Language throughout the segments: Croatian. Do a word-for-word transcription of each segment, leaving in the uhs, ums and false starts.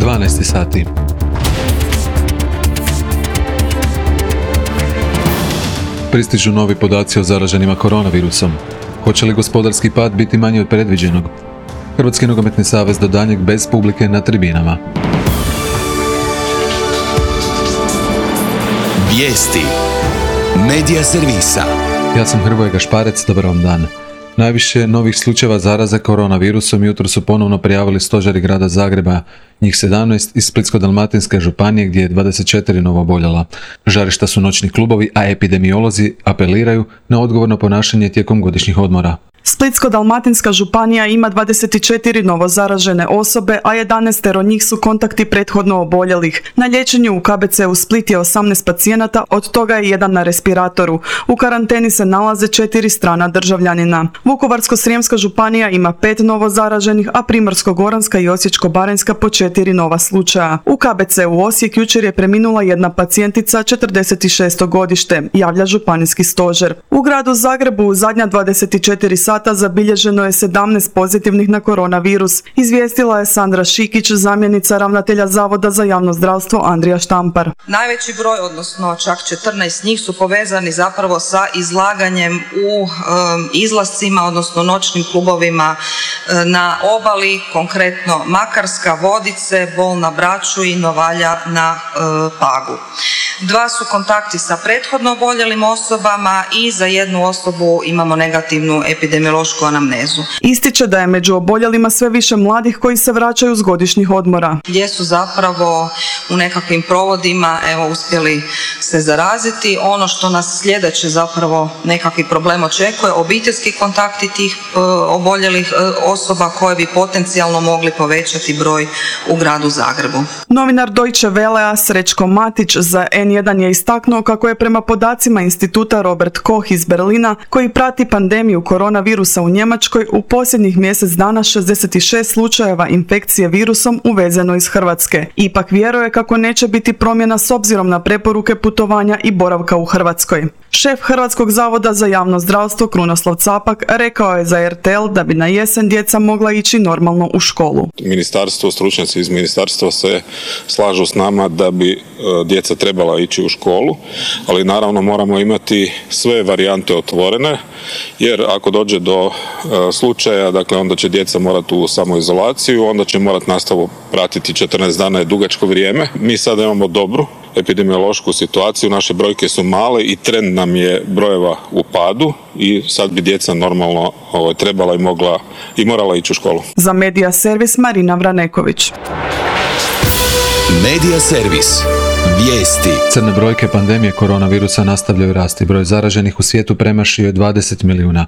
dvanaest sati. Pristižu novi podaci o zaraženima koronavirusom. Hoće li gospodarski pad biti manji od predviđenog? Hrvatski nogometni savez do daljnjeg bez publike na tribinama. Vijesti Medija servisa. Ja sam Hrvoje Gašparec, dobar vam dan. Najviše novih slučajeva zaraze koronavirusom jutro su ponovno prijavili stožeri grada Zagreba, njih sedamnaest iz Splitsko-dalmatinske županije gdje je dvadeset četiri novooboljela. Žarišta su noćni klubovi, a epidemiolozi apeliraju na odgovorno ponašanje tijekom godišnjih odmora. Splitsko-dalmatinska županija ima dvadeset četiri novo zaražene osobe, a jedanaest od njih su kontakti prethodno oboljelih. Na liječenju u K B C u Split je osamnaest pacijenata, od toga je jedan na respiratoru. U karanteni se nalaze četiri strana državljanina. Vukovarsko-srijemska županija ima pet novo zaraženih, a Primorsko-goranska i Osječko-baranjska po četiri nova slučaja. U K B C u Osijek jučer je preminula jedna pacijentica, četrdeset šesto godište, javlja županijski stožer. U gradu Zagrebu u zadnja dvadeset četiri sata zabilježeno je sedamnaest pozitivnih na koronavirus, izvijestila je Sandra Šikić, zamjenica ravnatelja Zavoda za javno zdravstvo Andrija Štampar. Najveći broj, odnosno čak četrnaest njih, su povezani zapravo sa izlaganjem u um, izlascima, odnosno noćnim klubovima um, na obali, konkretno Makarska, Vodice, Bol na Braču i Novalja na um, Pagu. Dva su kontakti sa prethodno oboljelim osobama i za jednu osobu imamo negativnu epidemiološku anamnezu. Ističe da je među oboljelima sve više mladih koji se vraćaju s godišnjih odmora. Gdje su zapravo u nekakvim provodima evo, uspjeli se zaraziti. Ono što nas sljedeće zapravo nekakvi problem očekuje, obiteljski kontakti tih e, oboljelih e, osoba koje bi potencijalno mogli povećati broj u gradu Zagrebu. Novinar Deutsche Wellea Srećko Matić za en jedan je istaknuo kako je prema podacima instituta Robert Koch iz Berlina, koji prati pandemiju koronavirusa u Njemačkoj, u posljednjih mjesec dana šezdeset šest slučajeva infekcije virusom uvezeno iz Hrvatske. Ipak vjeruje kako neće biti promjena s obzirom na preporuke putovanja i boravka u Hrvatskoj. Šef Hrvatskog zavoda za javno zdravstvo Krunoslav Capak rekao je za er te el da bi na jesen djeca mogla ići normalno u školu. Ministarstvo, stručnjaci iz ministarstva se slažu s nama da bi djeca trebala ići u školu, ali naravno moramo imati sve varijante otvorene, jer ako dođe do slučaja, dakle onda će djeca morati u samoizolaciju, onda će morati nastavu pratiti četrnaest dana, je dugačko vrijeme. Mi sada imamo dobru epidemiološku situaciju, naše brojke su male i trend nam je brojeva u padu i sad bi djeca normalno ovo, trebala i mogla i morala ići u školu. Za Medija servis Marina Vraneković. Medija servis. Vijesti. Crne brojke pandemije koronavirusa nastavljaju rasti. Broj zaraženih u svijetu premašio je dvadeset milijuna.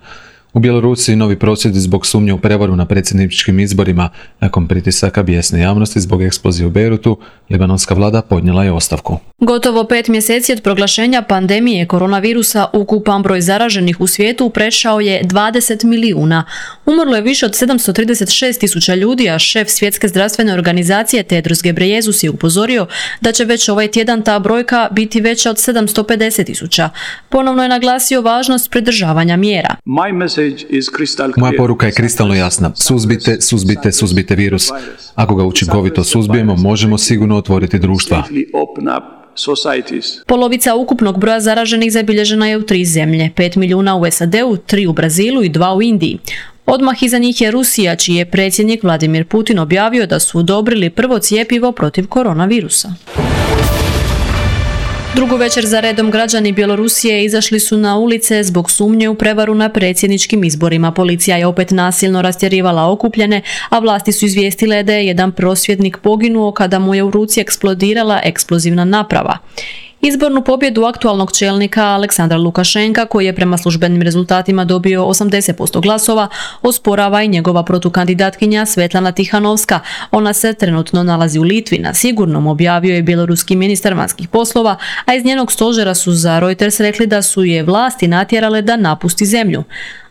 U Bjelorusiji novi prosvjedi zbog sumnje u prevaru na predsjedničkim izborima. Nakon pritisaka bijesne javnosti zbog eksplozije u Bejrutu, libanonska vlada podnijela je ostavku. Gotovo pet mjeseci od proglašenja pandemije koronavirusa ukupan broj zaraženih u svijetu prešao je dvadeset milijuna. Umrlo je više od sedamsto trideset šest tisuća ljudi, a šef Svjetske zdravstvene organizacije Tedros Ghebreyesus je upozorio da će već ovaj tjedan ta brojka biti veća od sedamsto pedeset tisuća. Ponovno je naglasio važnost pridržavanja mjera. Moja poruka je kristalno jasna. Suzbite, suzbite, suzbite virus. Ako ga učinkovito suzbijemo, možemo sigurno otvoriti društva. Polovica ukupnog broja zaraženih zabilježena je u tri zemlje. pet milijuna u es a de u, tri u Brazilu i dva u Indiji. Odmah iza njih je Rusija, čiji je predsjednik Vladimir Putin objavio da su odobrili prvo cjepivo protiv koronavirusa. Drugu večer za redom građani Bjelorusije izašli su na ulice zbog sumnje u prevaru na predsjedničkim izborima. Policija je opet nasilno rastjerivala okupljene, a vlasti su izvijestile da je jedan prosvjednik poginuo kada mu je u ruci eksplodirala eksplozivna naprava. Izbornu pobjedu aktualnog čelnika Aleksandra Lukašenka, koji je prema službenim rezultatima dobio osamdeset posto glasova, osporava i njegova protukandidatkinja Svetlana Tihanovska. Ona se trenutno nalazi u Litvi na sigurnom, objavio je bjeloruski ministar vanjskih poslova, a iz njenog stožera su za Reuters rekli da su je vlasti natjerale da napusti zemlju.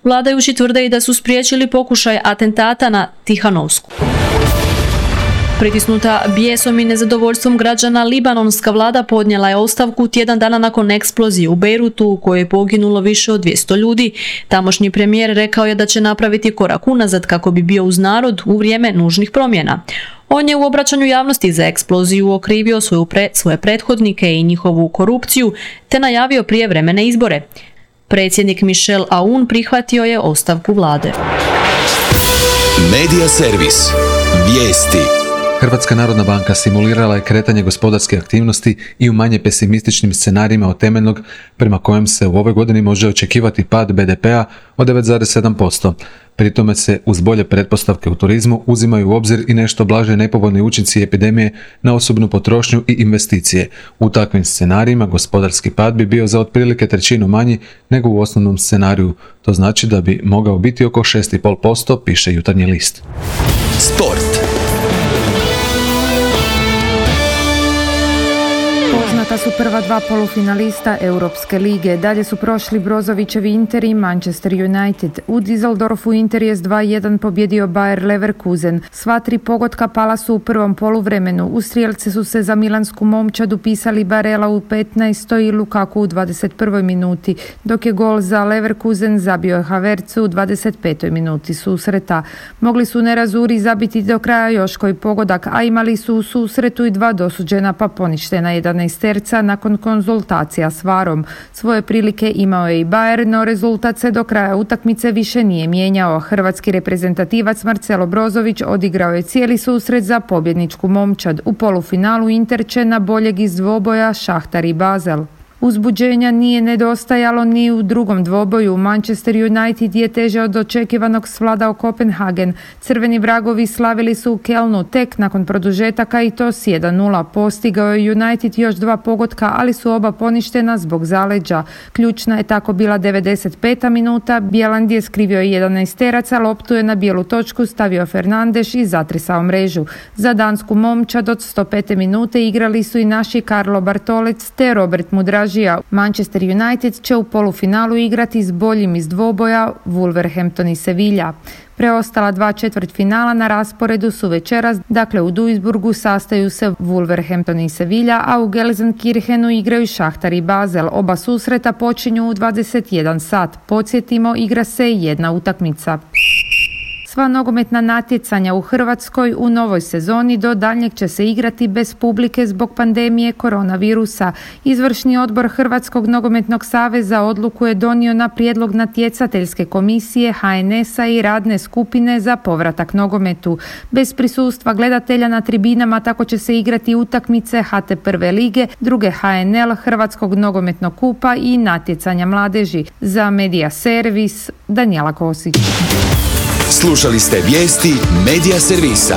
Vladajući tvrde i da su spriječili pokušaj atentata na Tihanovsku. Pritisnuta bijesom i nezadovoljstvom građana, libanonska vlada podnijela je ostavku tjedan dana nakon eksplozije u Bejrutu u kojoj je poginulo više od dvjesto ljudi. Tamošnji premijer rekao je da će napraviti korak unazad kako bi bio uz narod u vrijeme nužnih promjena. On je u obraćanju javnosti za eksploziju okrivio svoju pre, svoje prethodnike i njihovu korupciju te najavio prijevremene izbore. Predsjednik Michel Aoun prihvatio je ostavku vlade. Medija servis. Vijesti. Hrvatska narodna banka simulirala je kretanje gospodarske aktivnosti i u manje pesimističnim scenarijima od temeljnog, prema kojem se u ovoj godini može očekivati pad be de pea od devet zarez sedam posto. Pri tome se uz bolje pretpostavke u turizmu uzimaju u obzir i nešto blaže nepovoljni učinci epidemije na osobnu potrošnju i investicije. U takvim scenarijima gospodarski pad bi bio za otprilike trećinu manji nego u osnovnom scenariju. To znači da bi mogao biti oko šest zarez pet posto, piše Jutarnji list. Sport. Poznata su prva dva polufinalista Europske lige. Dalje su prošli Brozovićevi Inter i Manchester United. U Düsseldorfu Inter je s dva jedan pobjedio Bayer Leverkusen. Sva tri pogotka pala su u prvom poluvremenu. U strijelce su se za milansku momčad upisali Barella u petnaestoj i Lukaku u dvadeset prvoj minuti, dok je gol za Leverkusen zabio Havertz u dvadeset petoj minuti susreta. Mogli su nerazuri zabiti do kraja još koji pogodak, a imali su u susretu i dva dosuđena pa poništena jedanaesterca nakon konzultacija s varom. Svoje prilike imao je i Bayer, no rezultat se do kraja utakmice više nije mijenjao. Hrvatski reprezentativac Marcelo Brozović odigrao je cijeli susret za pobjedničku momčad. U polufinalu Inter će na boljeg iz dvoboja Šahtar i Basel. Uzbuđenja nije nedostajalo ni u drugom dvoboju. Manchester United je teže od očekivanog svladao Kopenhagen. Crveni vragovi slavili su u Kelnu tek nakon produžetaka i to s jedan nula. Postigao je United još dva pogotka, ali su oba poništena zbog zaleđa. Ključna je tako bila devedeset peta minuta. Bjeland je skrivio jedanaesteraca, loptu je na bijelu točku stavio Fernandes i zatresao mrežu. Za dansku momčad od sto pete minute igrali su i naši Karlo Bartolec te Robert Mudraž. Manchester United će u polufinalu igrati s boljim iz dvoboja Wolverhampton i Sevilla. Preostala dva četvrtfinala na rasporedu su večeras, dakle u Duisburgu sastaju se Wolverhampton i Sevilla, a u Gelsenkirchenu igraju Šahtar i Basel. Oba susreta počinju u dvadeset jedan sat. Podsjetimo, igra se jedna utakmica. Sva nogometna natjecanja u Hrvatskoj u novoj sezoni do daljnjeg će se igrati bez publike zbog pandemije koronavirusa. Izvršni odbor Hrvatskog nogometnog saveza odluku je donio na prijedlog natjecateljske komisije ha en es-a i radne skupine za povratak nogometu. Bez prisustva gledatelja na tribinama tako će se igrati utakmice ha te prve lige, druge ha en el, Hrvatskog nogometnog kupa i natjecanja mladeži. Za Medija servis, Danijela Kosić. Slušali ste vijesti Medija servisa.